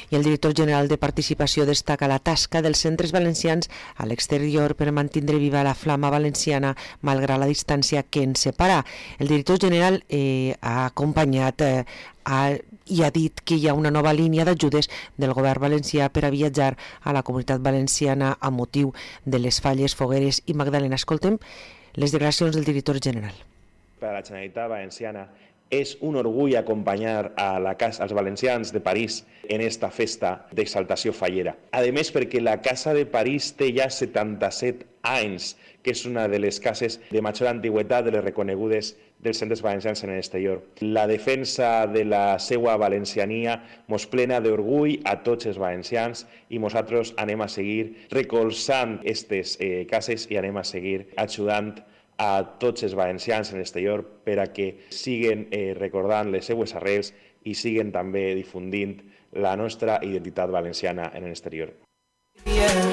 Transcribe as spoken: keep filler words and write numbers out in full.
I el director general de Participació destaca la tasca dels centres valencians a l'exterior per mantindre viva la flama valenciana malgrat la distància que ens separa. El director general eh, ha acompanyat eh, a, i ha dit que hi ha una nova línia d'ajudes del govern valencià per a viatjar a la Comunitat Valenciana a motiu de les Falles, Fogueres i Magdalena. Escoltem les declaracions del director general. Per a la Generalitat Valenciana és un orgull acompanyar a la casa, als valencians de París en esta festa d'exaltació fallera. A més, perquè la Casa de París té ja setanta-set anys, que és una de les cases de major antigüetat de les reconegudes dels centres valencians en l'exterior. La defensa de la seva valenciania mos plena d'orgull a tots els valencians i nosaltres anem a seguir recolzant aquestes eh, cases i anem a seguir ajudant a tots els valencians en l'exterior per a que siguen eh, recordant les seues arrels i siguen també difundint la nostra identitat valenciana en l'exterior. Yeah.